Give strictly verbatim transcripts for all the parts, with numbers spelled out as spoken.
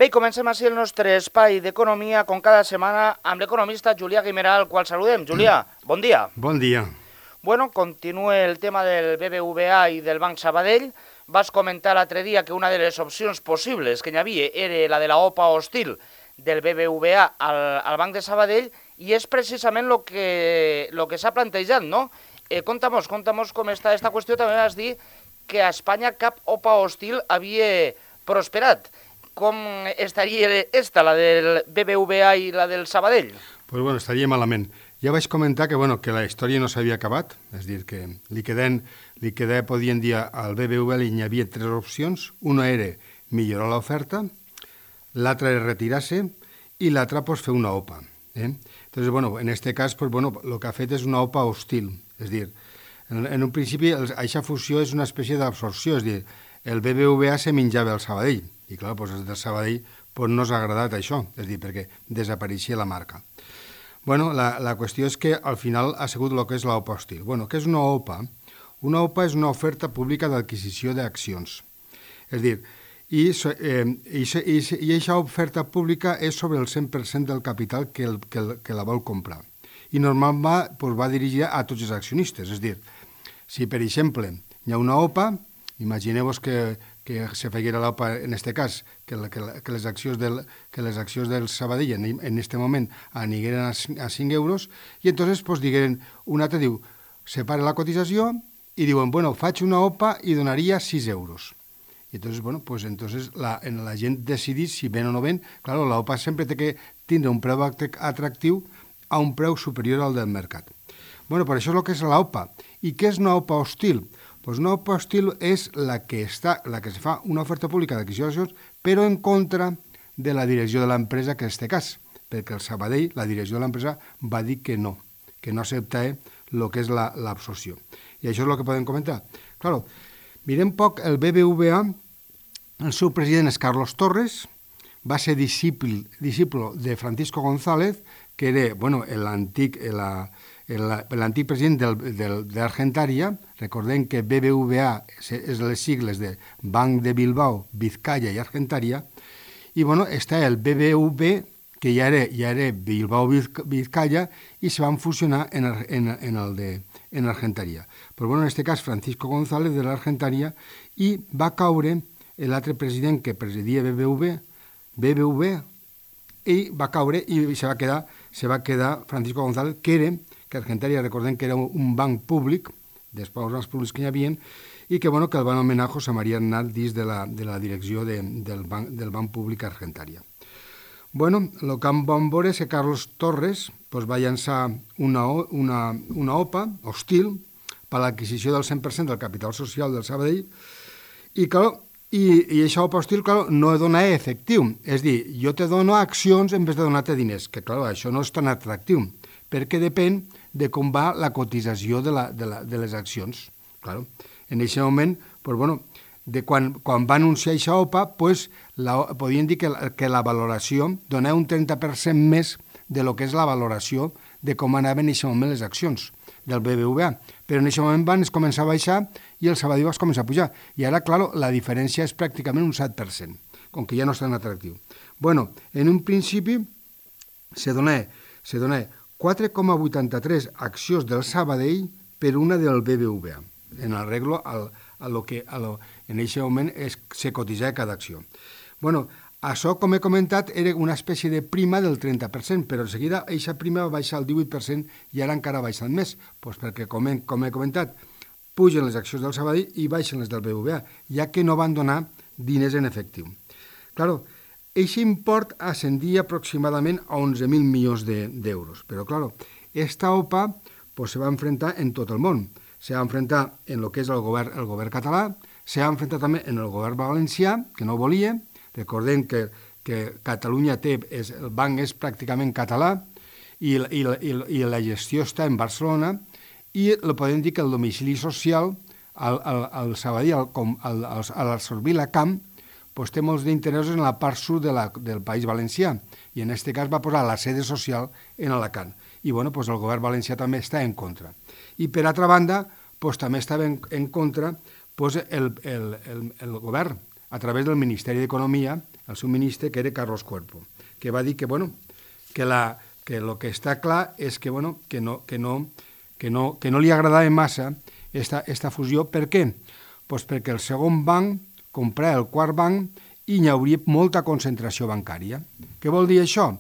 Bé, comencem així el nostre espai d'economia, com cada setmana, amb l'economista Julià Guimerà, al qual saludem. Julià, bon dia. Bon dia. Bueno, continua el tema del B B V A i del Banc Sabadell. Vas comentar l'altre dia que una de les opcions possibles que hi havia era la de la O P A hostil del B B V A al, al Banc de Sabadell, i és precisament el que, lo que s'ha plantejat, no? Eh, Conta-mos, conta-mos com està aquesta qüestió. També vas dir que a Espanya cap O P A hostil havia prosperat. Com estaria esta, la del B B V A i la del Sabadell? Pues bueno, estaria malament. Ja vaig comentar que, bueno, que la història no s'havia acabat, és a dir, que li queden, li quedava, podien dir, al B B V A hi havia tres opcions. Una era millorar l'oferta, l'altra era retirar-se i l'altra pues, fer una O P A. Eh? Entonces, bueno, en este cas, pues, bueno, el que ha fet és una O P A hostil. És a dir, en, en un principi, aquesta fusió és una espècie d'absorció, és a dir, el B B V A se menjava el Sabadell, i clar, doncs el del Sabadell pues, no s'ha agradat això, és a dir, perquè desapareixia la marca. Bueno, la, la qüestió és que al final ha sigut el que és l'O P A hostil. Bueno, què és una O P A? Una O P A és una oferta pública d'adquisició d'accions. És a dir, i, eh, i, i, i aquesta oferta pública és sobre el cent per cent del capital que, el, que, el, que la vol comprar. I normalment va, pues, va dirigida a tots els accionistes. És a dir, si per exemple hi ha una O P A, imagineu-vos que, que se feguera l'O P A en aquest cas, que, la, que, la, que, les accions del, que les accions del Sabadell en aquest moment anigueren a, a cinc euros, i entonces pues, digueren, un altre diu, separa la cotització i diuen, bueno, faig una O P A i donaria sis euros. I entonces, bueno, pues entonces la, la gent decidís si ven o no ven. Claro, la O P A sempre té que tindre un preu atractiu a un preu superior al del mercat. Bueno, per això és el que és la O P A. I què és una O P A hostil? Pues una O P A hostil és la que, està, la que se fa una oferta pública d'adquisició d'accions, però en contra de la direcció de l'empresa, que en aquest cas, perquè el Sabadell, la direcció de l'empresa, va dir que no, que no accepta el que és l'absorció. I això és el que podem comentar. Claro, mirem poc el B B V A, el seu president és Carlos Torres, va ser discípul, discípulo de Francisco González, que era, bueno, l'antic... La, l'antic president del, del, d'Argentaria. Recordem que B B V A és les sigles de Banc de Bilbao, Vizcaya i Argentaria, i bueno, està el B B V, que ja era, ja era Bilbao Vizcaya, i se van fusionar en, en, en el de en Argentaria. Però bueno, en aquest cas Francisco González de l'Argentaria, i va caure l'altre president que presidia B B V, B B V, i va caure i se va quedar, se va quedar Francisco González, que era que Argentaria, recordem que era un banc públic, després dels bancs públics que hi havia, i que, bueno, que el van anomenar José María Aznar dins de la, de la direcció de, del, banc, del banc públic Argentaria. Bueno, el que vam veure és que Carlos Torres pues, va llançar una, una, una O P A hostil per a l'adquisició del cent per cent del capital social del Sabadell, i, clar, i, i això O P A hostil, clar, no dona efectiu. És dir, jo te dono accions en vez de donar-te diners, que, clar, això no és tan atractiu, perquè depèn de com va la cotització de, la, de, la, de les accions. Claro. En aquest moment, pues, bueno, de quan, quan va anunciar aquesta O P A, pues, la, podien dir que la, que la valoració donava un trenta per cent més de lo que és la valoració de com anaven en aquest moment les accions del B B V A. Però en aquest moment van començar a baixar i el Sabadell va començar a pujar. I ara, clar, la diferència és pràcticament un set per cent, com que ja no és tan atractiu. Bueno, en un principi se donava, se donava quatre coma vuitanta-tres accions del Sabadell per una del B B V A, en arreglo al, a lo que a lo, en aquest moment es, se cotitzava cada acció. Bueno, això, com he comentat, era una espècie de prima del trenta per cent, però en seguida aquesta prima va baixar al divuit per cent i ara encara ha baixat més, doncs perquè, com he, com he comentat, pugen les accions del Sabadell i baixen les del B B V A, ja que no van donar diners en efectiu. Claro, aquest import ascendia aproximadament a onze mil milions d'euros. Però, clar, esta O P A pues, se va enfrentar en tot el món. Se va enfrentar en el que és el govern, el govern català, se va enfrentar també en el govern valencià, que no volia. Recordem que, que Catalunya té, és, el banc és pràcticament català i, i, i, i la gestió està en Barcelona, i lo podem dir que el domicili social, al, al, al Sabadell, al, al, al, a l'absorbir la Camp, pues, té molts d'interessos en la part sud de la, del País Valencià, i en aquest cas va posar la sede social en Alacant. I bueno, pues, el govern valencià també està en contra. I per altra banda, pues, també estava en, en contra pues, el, el, el, el govern, a través del Ministeri d'Economia, el seu ministre, que era Carlos Cuerpo, que va dir que, bueno, que la, que el que està clar és que, bueno, que, no, que, no, que, no, que no li agradava massa esta, esta fusió. Per què? Pues perquè el segon banc comprarà el quart banc i hi hauria molta concentració bancària. Què vol dir això?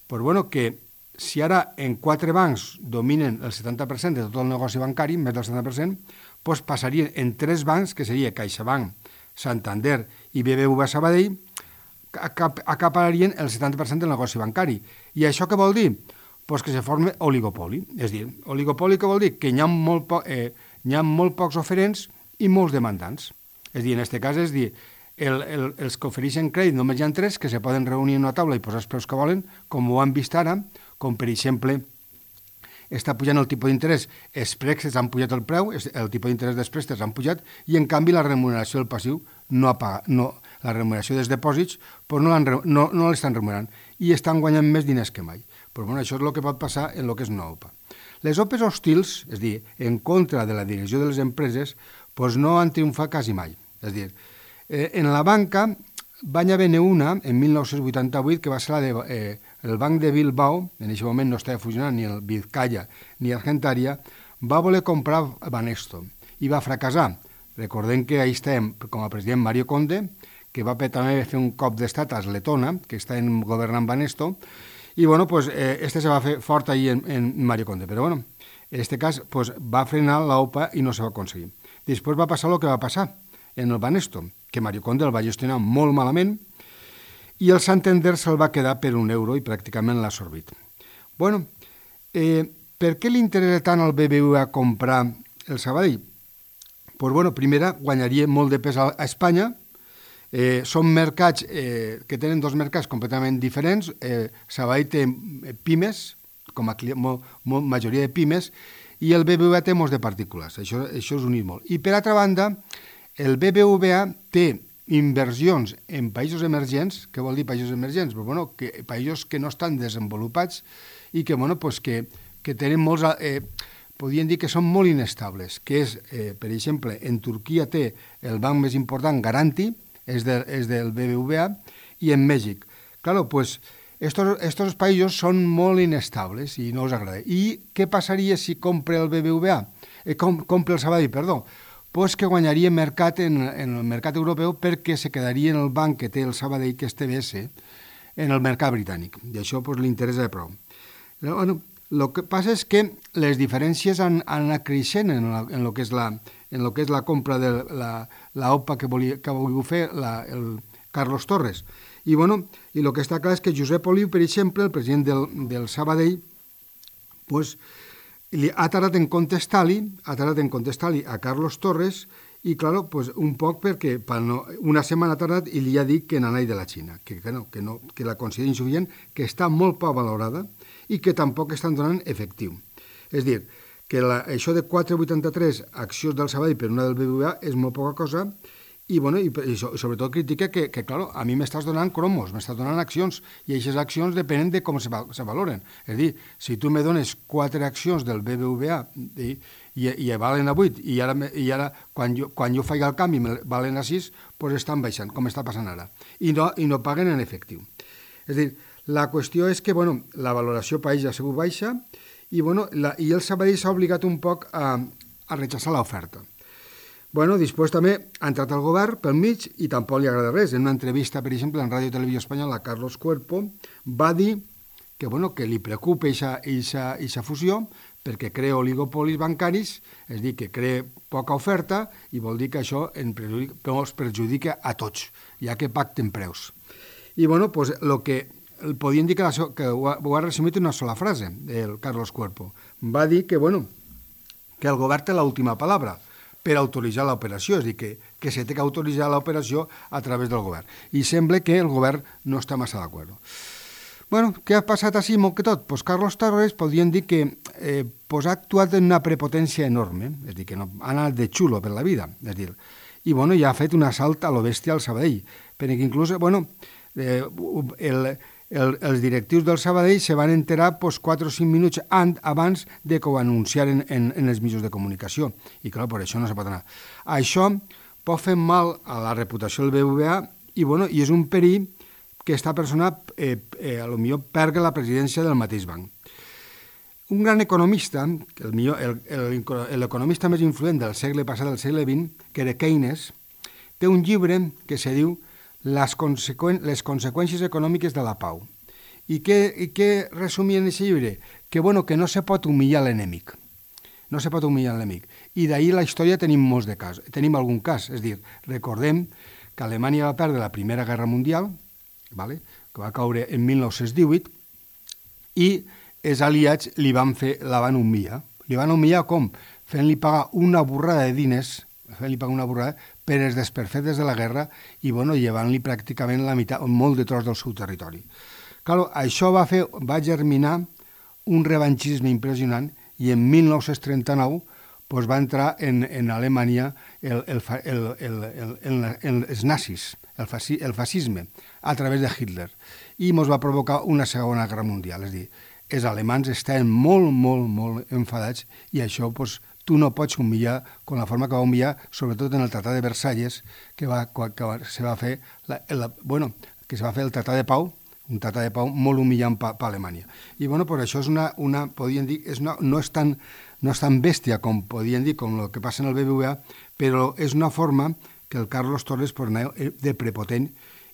Pues bueno, que si ara en quatre bancs dominen el setanta per cent de tot el negoci bancari, més del setanta per cent, pues passarien en tres bancs, que seria CaixaBank, Santander i B B V A Sabadell, acapararien el setanta per cent del negoci bancari. I això què vol dir? Pues que se forma oligopoli. És dir, oligopoli què vol dir? Que hi ha molt, po eh, hi ha molt pocs oferents i molts demandants. És dir, en aquest cas, és dir, el, el, els que ofereixen crèdit només hi ha tres que se poden reunir en una taula i posar els preus que volen, com ho han vist ara, com per exemple està pujant el tipus d'interès, els préstecs han pujat el preu, el tipus d'interès dels préstecs han pujat, i en canvi la remuneració del passiu no ha pagat, no, la remuneració dels depòsits pues no l'estan no, no remunerant i estan guanyant més diners que mai. Però bueno, això és el que pot passar en el que és una O P A. Les O P Es hostils, és a dir, en contra de la direcció de les empreses, pues no han triomfat quasi mai. És a dir, eh, en la banca van haver-ne una, en mil nou-cents vuitanta-vuit, que va ser la de, eh, el Banc de Bilbao, en aquest moment no estava fusionant ni el Vizcaya ni Argentaria, va voler comprar Banesto i va fracassar. Recordem que ahir estàvem com a president Mario Conde, que va també fer un cop d'estat a Letona, que està en governant Banesto, i bueno, pues, eh, este se va fer fort ahir en, en Mario Conde, però bueno, en aquest cas pues, va frenar la O P A i no se va aconseguir. Després va passar el que va passar en el Banesto, que Mario Conde el va gestionar molt malament i el Santander se'l va quedar per un euro i pràcticament l'ha absorbit. Bueno, eh, per què li interessa tant al B B V A comprar el Sabadell? Pues bueno, primera, guanyaria molt de pes a, a Espanya. Eh, són mercats eh, que tenen dos mercats completament diferents. Eh, Sabadell té pimes, com a mo, mo, majoria de pimes, i el B B V A té molts de partícules. Això, això és unir molt. I per altra banda, el B B V A té inversions en països emergents. Què vol dir països emergents? Pues, bueno, que, països que no estan desenvolupats i que, bueno, pues que, que tenen molts... Eh, podríem dir que són molt inestables, que és, eh, per exemple, en Turquia té el banc més important, Garanti, és, de, és del B B V A, i en Mèxic. Claro, pues, estos, estos països són molt inestables i no els agrada. I què passaria si compra el B B V A? Eh, com, compra el Sabadell, perdó. Pues que guanyaria mercat en, en el mercat europeu perquè se quedaria en el banc que té el Sabadell, que és T B S, en el mercat britànic. I això pues, li interessa de prou. Bueno, el que passa és que les diferències han, han anat creixent en, la, en, lo que és la, en lo que és la compra de la, la O P A que volia, que volia fer la, el Carlos Torres. I, bueno, i el que està clar és que Josep Oliu, per exemple, el president del, del Sabadell, pues, li ha tardat en contestar-li, ha tardat en contestar-li a Carlos Torres i, claro, pues, un poc perquè no, una setmana ha tardat i li ha dit que n'anà de la Xina, que, que, no, que, no, que la considera insuficient, que està molt poc valorada i que tampoc estan donant efectiu. És dir, que la, això de quatre coma vuitanta-tres accions del Sabadell per una del B B V A és molt poca cosa i, bueno, i, i sobretot critica que, que clar, a mi m'estàs donant cromos, m'estàs donant accions i aquestes accions depenen de com se, se valoren. És dir, si tu me dones quatre accions del B B V A i, i, i valen a vuit i ara, i ara quan, jo, quan jo faig el canvi valen a sis, doncs estan baixant, com està passant ara. I no, i no paguen en efectiu. És dir, la qüestió és que, bueno, la valoració país ha sigut baixa i, bueno, la, i el Sabadell s'ha obligat un poc a, a rechaçar l'oferta. Bueno, després també ha entrat el govern pel mig i tampoc li agrada res. En una entrevista, per exemple, en Ràdio Televisió Espanyola, Carlos Cuerpo va dir que, bueno, que li preocupa aquesta fusió perquè crea oligopolis bancaris, és dir, que crea poca oferta i vol dir que això en perjudica, ens perjudica a tots, ja que pacten preus. I, bueno, pues, el que podien dir que, la, que ho, ha, ho ha resumit en una sola frase, el Carlos Cuerpo. Va dir que, bueno, que el govern té l'última paraula per autoritzar l'operació, és a dir, que, que se té que autoritzar l'operació a través del govern. I sembla que el govern no està massa d'acord. Bueno, què ha passat així molt que tot? Pues Carlos Torres podrien dir que eh, pues ha actuat en una prepotència enorme, és a dir, que no, ha anat de xulo per la vida, és a dir, i bueno, ja ha fet un assalt a lo bèstia al Sabadell, perquè inclús, bueno, eh, el... El, els directius del Sabadell se van enterar pues, quatre o cinc minuts abans de que ho anunciaren en, en els mitjans de comunicació. I, clar, per això no se pot anar. Això pot fer mal a la reputació del B B V A i, bueno, i és un perill que aquesta persona eh, eh, a lo millor perga la presidència del mateix banc. Un gran economista, el millor, el, el, l'economista més influent del segle passat, del segle vint, que era Keynes, té un llibre que se diu Les, conseqüèn les conseqüències econòmiques de la pau. I què, i què resumia en aquest llibre? Que, bueno, que no se pot humillar l'enemic. No se pot humillar l'enemic. I d'ahir la història tenim molts de cas. Tenim algun cas. És a dir, recordem que Alemanya va perdre la Primera Guerra Mundial, vale? Que va caure en mil nou-cents divuit, i els aliats li van fer, la van humillar. Li van humillar com? Fent-li pagar una borrada de diners, fent-li pagar una borrada per els desperfectes de la guerra i, bueno, llevant-li pràcticament la meitat, molt de tros del seu territori. Clar, això va fer, va germinar un revanchisme impressionant i en mil nou-cents trenta-nou pues, va entrar en, en Alemanya el, el, el, el, el, el, el, els nazis, el, fasci, el fascisme, a través de Hitler, i ens va provocar una segona guerra mundial. És a dir, els alemans estaven molt, molt, molt enfadats i això, pues, tu no pots humillar com la forma que va humillar, sobretot en el Tractat de Versalles, que, va, que va, se va fer la, la, bueno, que se va fer el Tractat de Pau, un tractat de pau molt humillant per pa, pa Alemanya. I bueno, pues això és una, una podríem dir, és una, no, és tan, no és tan bèstia com podríem dir, com el que passa en el B B V A, però és una forma que el Carlos Torres pues, anava de prepotent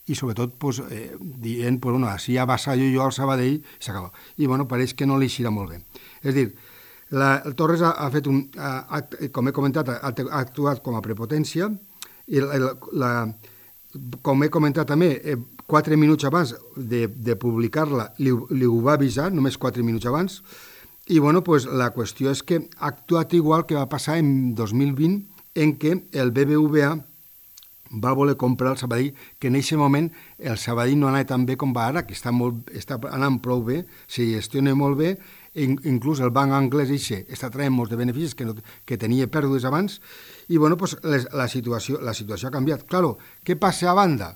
i sobretot pues, eh, dient, pues, bueno, així ja vassallo jo al Sabadell i s'acaba. I bueno, pareix que no li eixirà molt bé. És a dir, la, el Torres ha, ha fet un, ha, com he comentat, ha, ha actuat com a prepotència i la, la, com he comentat també, eh, quatre minuts abans de, de publicar-la li, li ho va avisar, només quatre minuts abans, i bueno, pues, la qüestió és que ha actuat igual que va passar en dos mil vint, en què el B B V A va voler comprar el Sabadell, que en aquest moment el Sabadell no anava tan bé com va ara, que està, molt, està anant prou bé, se gestiona molt bé, inclús el banc anglès eixe està traient molts de beneficis que, no, que tenia pèrdues abans, i bueno, pues, les, la, situació, la situació ha canviat. Claro, què passa a banda?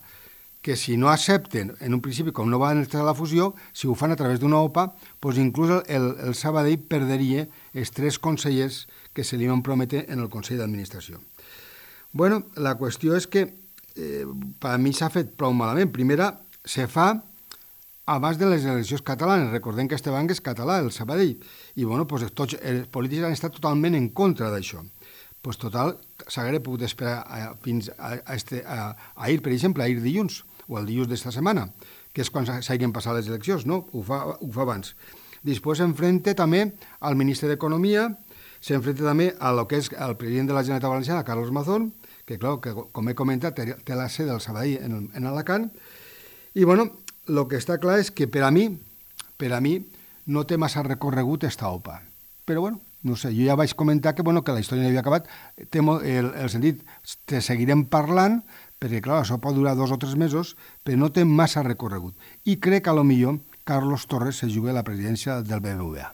Que si no accepten, en un principi, com no van entrar a la fusió, si ho fan a través d'una O P A, pues inclús el, el Sabadell perderia els tres consellers que se li van prometre en el Consell d'Administració. Bueno, la qüestió és que eh, per a mi s'ha fet prou malament. Primera, se fa abans de les eleccions catalanes. Recordem que este banc és català, el Sabadell, i bueno, pues, tots els polítics han estat totalment en contra d'això. Pues, total, s'hauria pogut esperar a, fins a, a, este, a, a ahir, per exemple, ahir dilluns, o el dilluns d'esta setmana, que és quan s'hagin passat les eleccions, no? Ho fa, ho fa abans. Després s'enfrenta també al ministre d'Economia, s'enfrenta també a lo que és el president de la Generalitat Valenciana, Carlos Mazón, que, clar, que com he comentat, té la sede del Sabadell en, en Alacant, i bueno, el que està clar és que per a mi, per a mi, no té massa recorregut esta O P A. Però bueno, no sé, jo ja vaig comentar que, bueno, que la història no havia acabat, té el, el sentit, te seguirem parlant, perquè clar, això pot durar dos o tres mesos, però no té massa recorregut. I crec que a lo millor Carlos Torres se juga a la presidència del B B V A.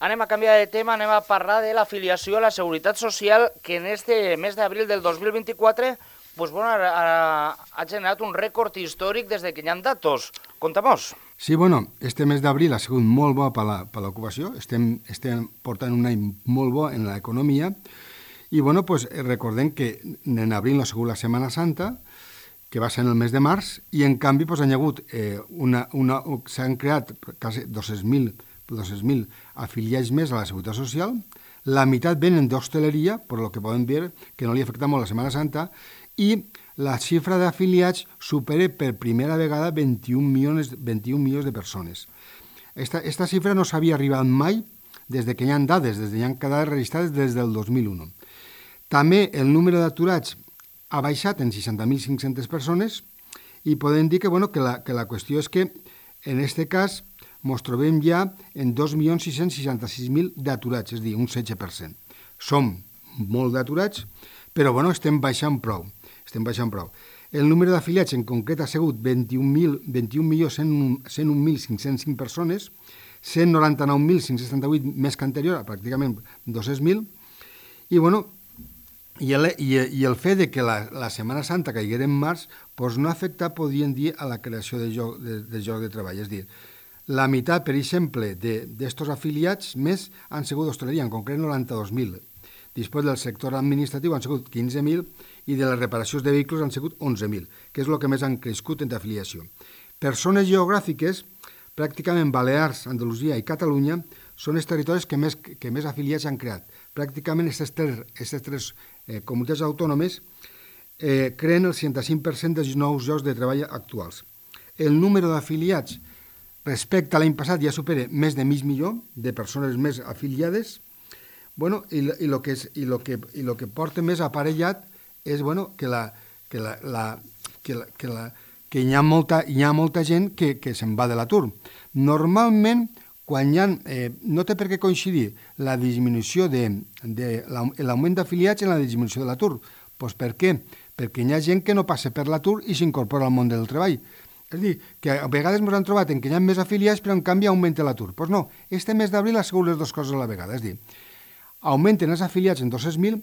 Anem a canviar de tema, anem a parlar de l'afiliació a la Seguretat Social, que en este mes d'abril del dos mil vint-i-quatre pues, bueno, ha, ha generat un rècord històric des que hi ha datos. Conta'm-nos. Sí, bueno, este mes d'abril ha sigut molt bo per l'ocupació, estem, estem portant un any molt bo en l'economia, i bueno, pues, recordem que en abril no ha sigut la Setmana Santa, que va ser en el mes de març, i en canvi pues, han hagut eh, una, una, s'han creat quasi dos-cents mil afiliats més a la Seguretat Social, la meitat venen d'hostaleria, per lo que podem veure que no li afecta molt la Setmana Santa, i la xifra d'afiliats supera per primera vegada vint-i-un milions, vint-i-un milions de persones. Esta, esta xifra no s'havia arribat mai des de que hi ha dades, des de que hi ha dades registrades des del dos mil un. També el número d'aturats ha baixat en seixanta mil cinc-centes persones i podem dir que, bueno, que, la, que la qüestió és que en aquest cas ens trobem ja en dos milions sis-cents seixanta-sis mil d'aturats, és a dir, un setze per cent. Som molt d'aturats, però bueno, estem baixant prou. Estem baixant prou. El número d'afiliats en concret ha sigut vint-i-un milions cent un mil cinc-cents cinc persones, cent noranta-nou mil cinc-cents setanta-vuit més que anterior, pràcticament dos-cents mil, i bueno, i el, i, i el fet de que la, la Setmana Santa caiguera en març doncs no afecta, podríem dir, a la creació de lloc de, de, lloc de treball. És dir, la meitat, per exemple, d'estos afiliats més han sigut d'hostaleria, en concret noranta-dos mil. Després del sector administratiu han sigut quinze mil i de les reparacions de vehicles han sigut onze mil, que és el que més han crescut en afiliació. Per zones geogràfiques, pràcticament Balears, Andalusia i Catalunya són els territoris que més, que més afiliats han creat. Pràcticament aquestes tres, aquestes tres eh, comunitats autònomes eh, creen el seixanta-cinc per cent dels nous llocs de treball actuals. El número d'afiliats respecte a l'any passat ja supera més de mig milió de persones més afiliades. Bueno, i, i, lo que és, i, lo que, i lo que porta més aparellat és bueno, que, la, que, la, la, que, la, que, la, que hi ha molta, hi ha molta gent que, que se'n va de l'atur. Normalment, quan hi ha, eh, no té per què coincidir la disminució de, de l'augment d'afiliats en la disminució de l'atur. Pues per què? Perquè hi ha gent que no passa per l'atur i s'incorpora al món del treball. És a dir, que a vegades ens han trobat en què hi ha més afiliats, però en canvi augmenta l'atur. Doncs pues no, este mes d'abril ha sigut les dues coses a la vegada. És a dir, augmenten els afiliats en dos-cents mil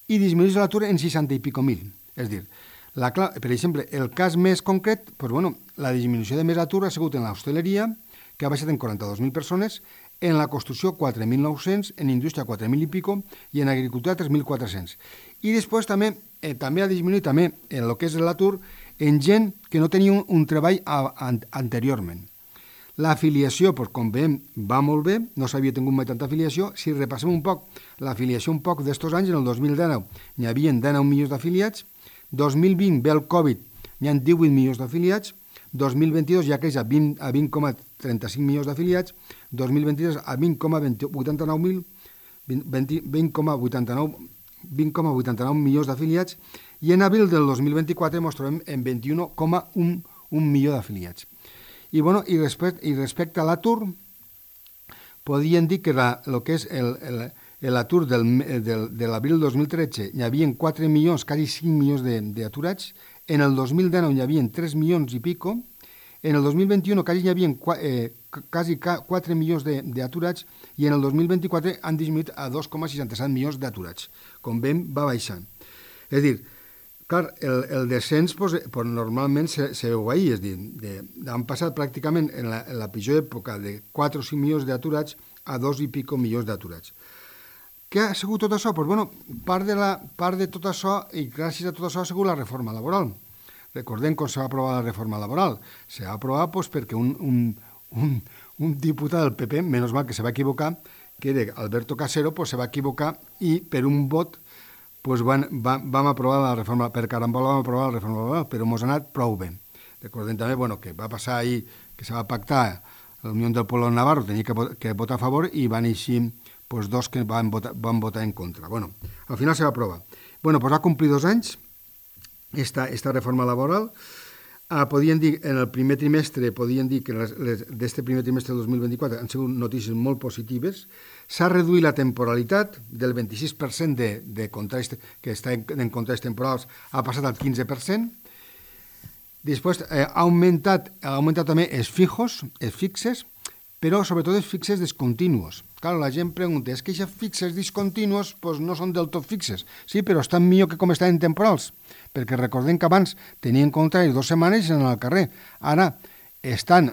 i disminueix l'atur en seixanta i pico mil. És a dir, la, per exemple, el cas més concret, pues bueno, la disminució de més atur ha sigut en l'hostaleria, que ha baixat en quaranta-dos mil persones, en la construcció quatre mil nou-cents, en indústria quatre mil i pico i en agricultura tres mil quatre-cents. I després també, eh, també ha disminuït també en el que és l'atur en gent que no tenia un, un treball a, a, anteriorment. L'afiliació, pues, com veiem, va molt bé, no s'havia tingut mai tanta afiliació. Si repassem un poc l'afiliació un poc d'estos anys, en el dos mil dinou n'hi havia dinou milions d'afiliats, dos mil vint ve el Covid, n'hi ha divuit milions d'afiliats, dos mil vint-i-dos ja creix a vint coma trenta-cinc milions d'afiliats, dos mil vint-i-tres a vint coma vuitanta-nou mil, vint coma vuitanta-nou milions d'afiliats, i en abril del dos mil vint-i-quatre ens trobem en vint-i-un coma un milió d'afiliats. I, bueno, i, respecte, i respecte a l'atur, podríem dir que la, el que és l'atur de l'abril del dos mil tretze hi havia quatre milions, quasi cinc milions d'aturats, en el dos mil dinou hi havia tres milions i pico, en el dos mil vint-i-u quasi hi havia eh, quasi quatre milions d'aturats i en el dos mil vint-i-quatre han disminuït a dos coma seixanta-set milions d'aturats. Com veiem, va baixant. És a dir, clar, el, el descens pues, pues, normalment se, se veu ahir, és a dir, de, han passat pràcticament en la, en la pitjor època de quatre o cinc milions d'aturats a dos i pico milions d'aturats. Què ha sigut tot això? Pues, bueno, part, de la, part de tot això, i gràcies a tot això, ha sigut la reforma laboral. Recordem com se va aprovar la reforma laboral. Se va aprovar pues, perquè un, un, un, un diputat del P P, menys mal que se va equivocar, que era Alberto Casero, pues, se va equivocar i per un vot pues van, va, vam aprovar la reforma, per carambola vam aprovar la reforma laboral, però ens ha anat prou bé. Recordem també bueno, que va passar ahir, que se va pactar la Unió del Pueblo Navarro, tenia que, que votar a favor i van eixir pues, dos que van votar, van votar en contra. Bueno, al final se va aprovar. Bueno, pues va complir dos anys esta, esta reforma laboral. Ah, podien dir, en el primer trimestre, podien dir que d'este primer trimestre del dos mil vint-i-quatre han sigut notícies molt positives. S'ha reduït la temporalitat del vint-i-sis per cent de, de contractes que està en, en contractes temporals, ha passat al quinze per cent. Després eh, ha, augmentat, ha augmentat també els fijos, els fixes, però sobretot els fixes discontinuos. Clar, la gent pregunta, és que aquests fixes discontinuos pues, no són del tot fixes. Sí, però estan millor que com estan temporals, perquè recordem que abans tenien contraris dues setmanes i anaven al carrer. Ara estan,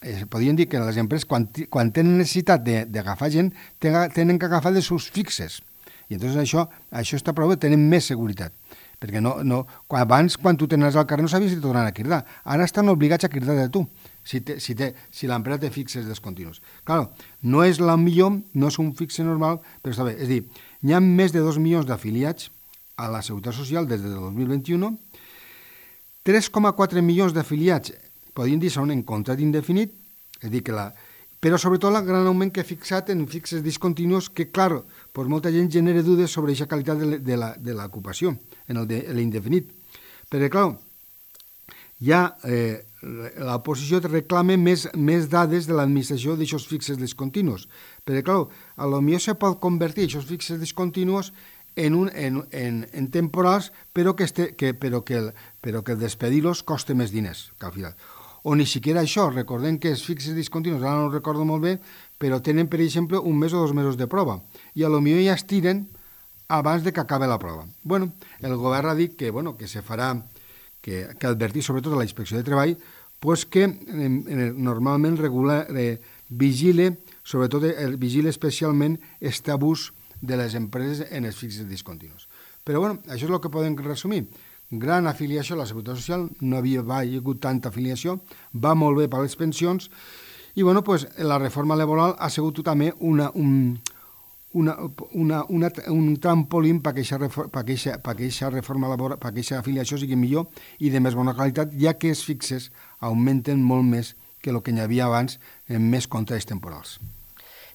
eh, podríem dir que les empreses, quan, quan tenen necessitat d'agafar gent, tenen que agafar de sus fixes. I llavors això, això està prou bé, tenen més seguretat. Perquè no, no, quan, abans, quan tu tenies al carrer, no sabies si tornaran a cridar. Ara estan obligats a cridar de tu, si, te, si, te, si l'empresa té fixes descontinus. Clar, no és la millor, no és un fixe normal, però està bé. És a dir, hi ha més de dos milions d'afiliats a la Seguretat Social des del dos mil vint-i-u, tres coma quatre milions d'afiliats, podríem dir, són en contracte indefinit, és a dir, que la, però sobretot el gran augment que he fixat en fixes discontinus, que, clar, pues molta gent genera dudes sobre aquesta qualitat de l'ocupació, en l'indefinit. Perquè, clar, ja eh, l'oposició reclama més, més dades de l'administració d'aixòs fixes discontinus. Perquè, clar, a lo millor se pot convertir aquests fixes discontinus en, un, en, en, en temporals, però que, este, que, però que, el, però que despedir-los costa més diners, que al final. O ni siquiera això, recordem que els fixes discontinus, ara no ho recordo molt bé, però tenen, per exemple, un mes o dos mesos de prova, i a lo millor ja es tiren abans de que acabe la prova. Bueno, el govern ha dit que, bueno, que se farà, que, que advertir sobretot a la Inspecció de Treball, pues que eh, normalment regula, eh, vigile, sobretot eh, vigile especialment este abús de les empreses en els fixes discontinus. Però bueno, això és el que podem resumir. Gran afiliació a la Seguretat Social, no havia hagut tanta afiliació, va molt bé per les pensions, i bueno, pues, la reforma laboral ha sigut també una, un, una, una, una, un trampolín perquè aquesta reforma laboral, perquè aquesta afiliació sigui millor i de més bona qualitat, ja que els fixes augmenten molt més que el que hi havia abans en més contrats temporals.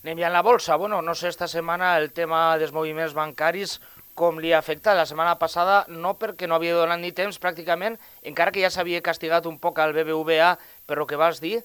Anem ja en la bolsa. Bueno, no sé, esta setmana el tema dels moviments bancaris com li ha afectat. La setmana passada no, perquè no havia donat ni temps pràcticament, encara que ja s'havia castigat un poc al B B V A per el que vas dir,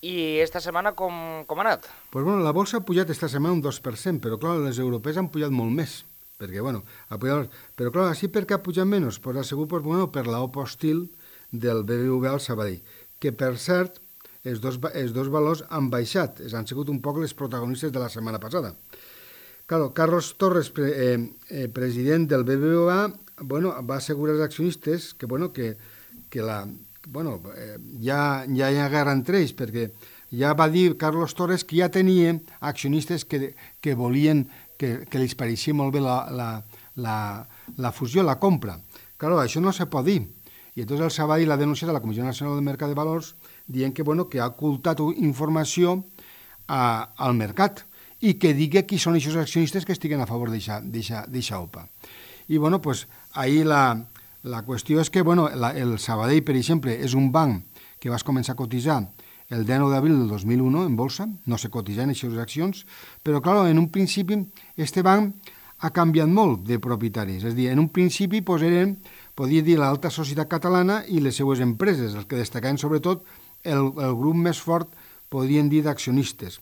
i esta setmana com, com ha anat? Pues bueno, la bolsa ha pujat esta setmana un dos per cent, però clar, les europees han pujat molt més, perquè bueno, ha pujat, però clar, així per què ha pujat menys? Pues ha sigut pues, bueno, per l'opa hostil del B B V A al Sabadell, que per cert, els dos, els dos valors han baixat, han sigut un poc les protagonistes de la setmana passada. Claro, Carlos Torres, pre, eh, eh, president del B B V A, bueno, va assegurar als accionistes que, bueno, que, que la, bueno, eh, ja, ja hi ha guerra entre ells, perquè ja va dir Carlos Torres que ja tenia accionistes que, que volien, que, que els pareixia molt bé la, la, la, la fusió, la compra. Claro, això no se pot dir. I entonces el Sabadell l'ha denunciat a la Comissió Nacional del Mercat de Valors dient que, bueno, que ha ocultat informació a, al mercat i que digui qui són aquests accionistes que estiguen a favor d'aquesta O P A. I, bueno, pues, ahir la, la qüestió és que, bueno, la, el Sabadell, per exemple, és un banc que vas començar a cotitzar el dinou d'abril del dos mil un en bolsa, no se cotitzen aquestes accions, però, clar, en un principi, este banc ha canviat molt de propietaris. És a dir, en un principi, pues, eren, podria dir, l'alta societat catalana i les seues empreses, els que destacaven, sobretot, el, el grup més fort, podrien dir, d'accionistes.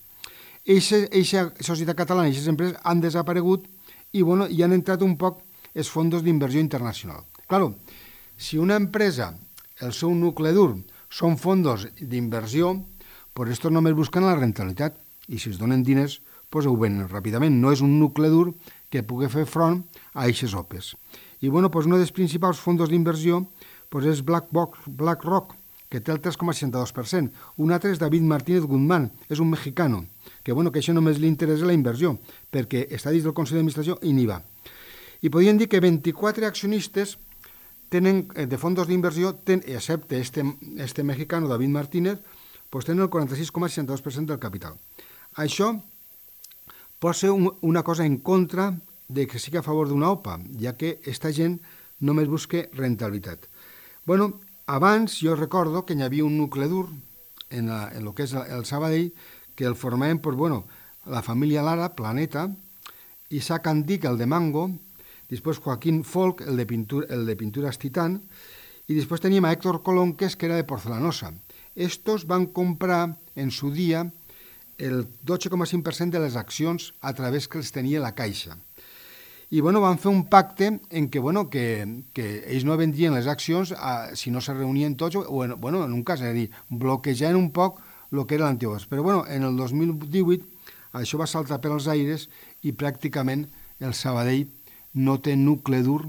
Eixa societat catalana i aquestes empreses han desaparegut i, bueno, hi han entrat un poc els fons d'inversió internacional. Claro, si una empresa, el seu nucle dur, són fons d'inversió, pues estos només busquen la rentabilitat i si es donen diners, pues ho venen ràpidament. No és un nucle dur que pugui fer front a aquestes O P Es. I, bueno, pues, un dels principals fons d'inversió pues, és BlackRock, BlackRock, que té el tres coma seixanta-dos per cent. Un altre és David Martínez Guzmán, és un mexicano, que, bueno, que això només li interessa la inversió, perquè està dins del Consell d'Administració i n'hi va. I podríem dir que vint-i-quatre accionistes tenen, de fons d'inversió, excepte este, este mexicano, David Martínez, pues tenen el quaranta-sis coma seixanta-dos per cent del capital. Això pot ser un, una cosa en contra de que sigui a favor d'una O P A, ja que aquesta gent només busca rentabilitat. Bueno, abans jo recordo que hi havia un nucle dur en, la, en el que és el Sabadell que el formaven pues, bueno, la família Lara, Planeta, Isaac Andic, el de Mango, després Joaquín Folk, el de, pintura, el de Pintures Titán, i després teníem a Héctor Colonques, que era de Porcelanosa. Estos van comprar en su dia el dotze coma cinc per cent de les accions a través que els tenia la Caixa. I, bueno, van fer un pacte en què, bueno, que, que ells no vendrien les accions a, si no se reunien tots, o en, bueno, en un cas, és a dir, bloquejant un poc el que era l'anterior. Però, bueno, en el dos mil divuit això va saltar per als aires i pràcticament el Sabadell no té nucle dur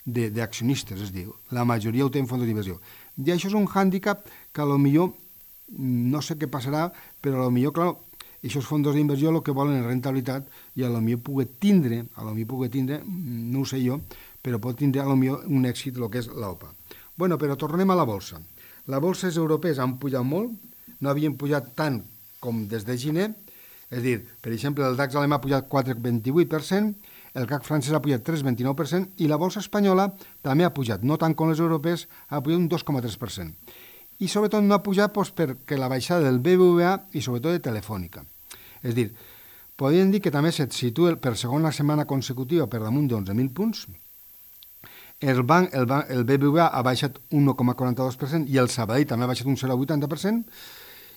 d'accionistes, és a dir, la majoria ho té en fons d'inversió. I això és un hàndicap que a lo millor, no sé què passarà, però a lo millor, clar, aquests fons d'inversió el que volen és rentabilitat i a lo millor pugui tindre, a lo millor pugui tindre, no ho sé jo, però pot tindre a lo millor un èxit el que és l'O P A. Bueno, però tornem a la bolsa. Les bolses europees han pujat molt, no havien pujat tant com des de gener, és a dir, per exemple, el DAX alemà ha pujat quatre coma vint-i-vuit per cent, el C A C francès ha pujat tres coma vint-i-nou per cent i la bolsa espanyola també ha pujat, no tant com les europees, ha pujat un dos coma tres per cent. I sobretot no ha pujat doncs, perquè la baixada del B B V A i sobretot de Telefònica. És a dir, podríem dir que també se situa per segona setmana consecutiva per damunt d'onze mil punts. El, banc, el, banc, el B B V A ha baixat un un coma quaranta-dos per cent i el Sabadell també ha baixat un zero coma vuitanta per cent.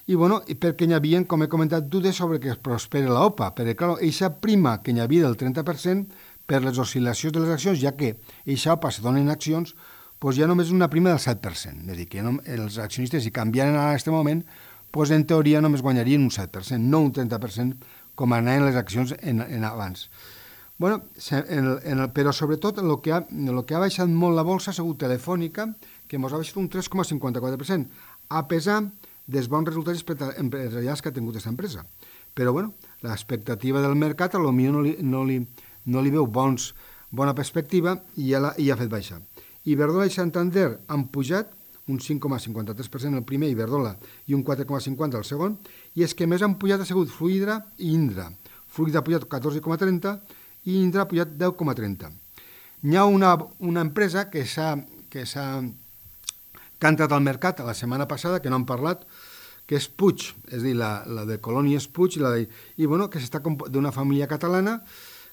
I, bueno, perquè hi havia, com he comentat, dubtes sobre que es prosperi la O P A, perquè, clar, eixa prima que hi havia del trenta per cent per les oscil·lacions de les accions, ja que eixa O P A se dona en accions, doncs ja només una prima del set per cent. És a dir, que no, els accionistes, si canviaren en aquest moment, doncs en teoria només guanyarien un set per cent, no un trenta per cent com anaven les accions en, en abans. Bueno, en el, en el, però sobretot el que, ha, el que ha baixat molt la bolsa ha sigut Telefònica, que ens ha baixat un tres coma cinquanta-quatre per cent, a pesar dels bons resultats empresarials que ha tingut aquesta empresa. Però, bueno, l'expectativa del mercat a lo millor no li, no li, no li veu bons, bona perspectiva i ja, la, i ja ha fet baixar. Iberdrola i Santander han pujat un cinc coma cinquanta-tres per cent el primer, Iberdrola, i un quatre coma cinquanta el segon, i és que més han pujat ha sigut Fluidra i Indra. Fluidra ha pujat catorze coma trenta i Indra ha pujat deu coma trenta. Hi ha una, una empresa que s'ha que s'ha que ha entrat al mercat la setmana passada, que no han parlat, que és Puig, és a dir, la, la de Colònies Puig, i, la de, i bueno, que s'està d'una família catalana,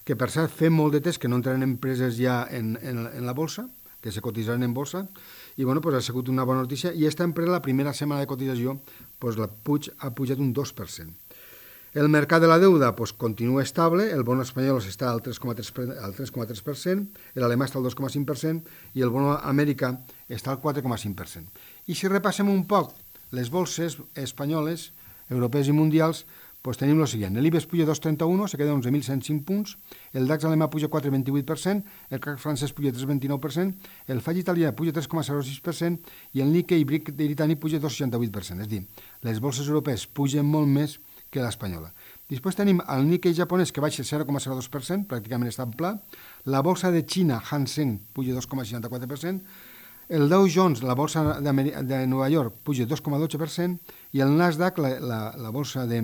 que per cert fem molt de temps que no entren empreses ja en, en, en la bolsa, que se cotitzaran en bolsa, i bueno, pues ha sigut una bona notícia, i aquesta empresa, la primera setmana de cotització, pues la Puig ha pujat un dos per cent. El mercat de la deuda pues, continua estable, el bono espanyol està al tres coma tres per cent, l'alemà està al dos coma cinc per cent i el bono americà està al quatre coma cinc per cent. I si repassem un poc les bolses espanyoles, europees i mundials, pues tenim el següent. L'I B E X puja dos coma trenta-u, se queda onze mil cent cinc punts, el DAX alemà puja quatre coma vint-i-vuit per cent, el C A C francès puja tres coma vint-i-nou per cent, el F A C italià puja tres coma zero sis per cent i el Nikkei britànic puja dos coma seixanta-vuit per cent. És a dir, les bolses europees pugen molt més que l'espanyola. Després tenim el Nikkei japonès que baixa zero coma zero dos per cent, pràcticament està en pla, la bolsa de Xina, Hang Seng, puja dos coma seixanta-quatre per cent, el Dow Jones, la bolsa de, de Nova York, puja dos coma dotze per cent i el Nasdaq, la, la, la bolsa de,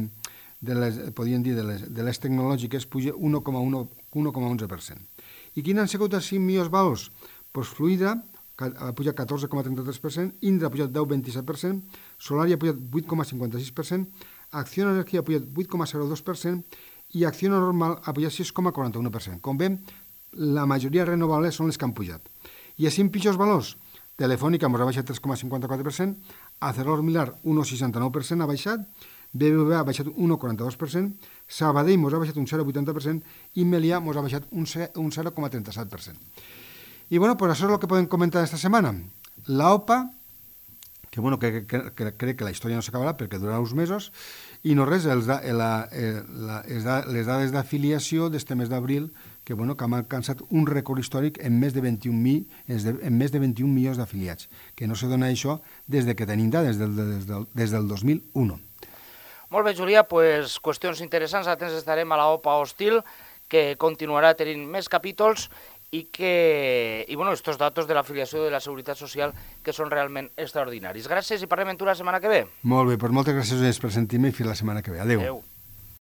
de les, podríem dir, de les, de les tecnològiques, puja un coma onze per cent. I quins han sigut els cinc millors valors? Pues Fluidra ha pujat catorze coma trenta-tres per cent, Indra ha pujat deu coma vint-i-set per cent, Solari ha pujat vuit coma cinquanta-sis per cent, Acció Energia ha pujat vuit coma zero dos per cent i Acció Normal ha pujat sis coma quaranta-u per cent. Com veiem, la majoria renovables són les que han pujat. I els cinc pitjors valors? Telefònica ens ha baixat tres coma cinquanta-quatre per cent, ArcelorMittal un coma seixanta-nou per cent ha baixat, B B V A ha baixat un coma quaranta-dos per cent, Sabadell ens ha baixat un zero coma vuitanta per cent i Melià ens ha baixat un zero coma trenta-set per cent. I bueno, pues això és el que podem comentar esta setmana. La O P A, que bueno, que, que, que crec que la història no s'acabarà perquè durarà uns mesos, i no res, els, la, la, les dades d'afiliació d'este mes d'abril, que, bueno, que han alcançat un rècord històric en més de vint-i-un mil, en més de vint-i-un milions d'afiliats, que no se dona això des de que tenim dades, des del, des del, des del dos mil u. Molt bé, Julià, pues, qüestions interessants, atents estarem a la O P A Hostil, que continuarà tenint més capítols, i que, i bueno, estos datos de l'afiliació de la Seguretat Social que són realment extraordinaris. Gràcies i parlem en tu la setmana que ve. Molt bé, doncs moltes gràcies per sentir-me i fins la setmana que ve. Adéu. Adéu.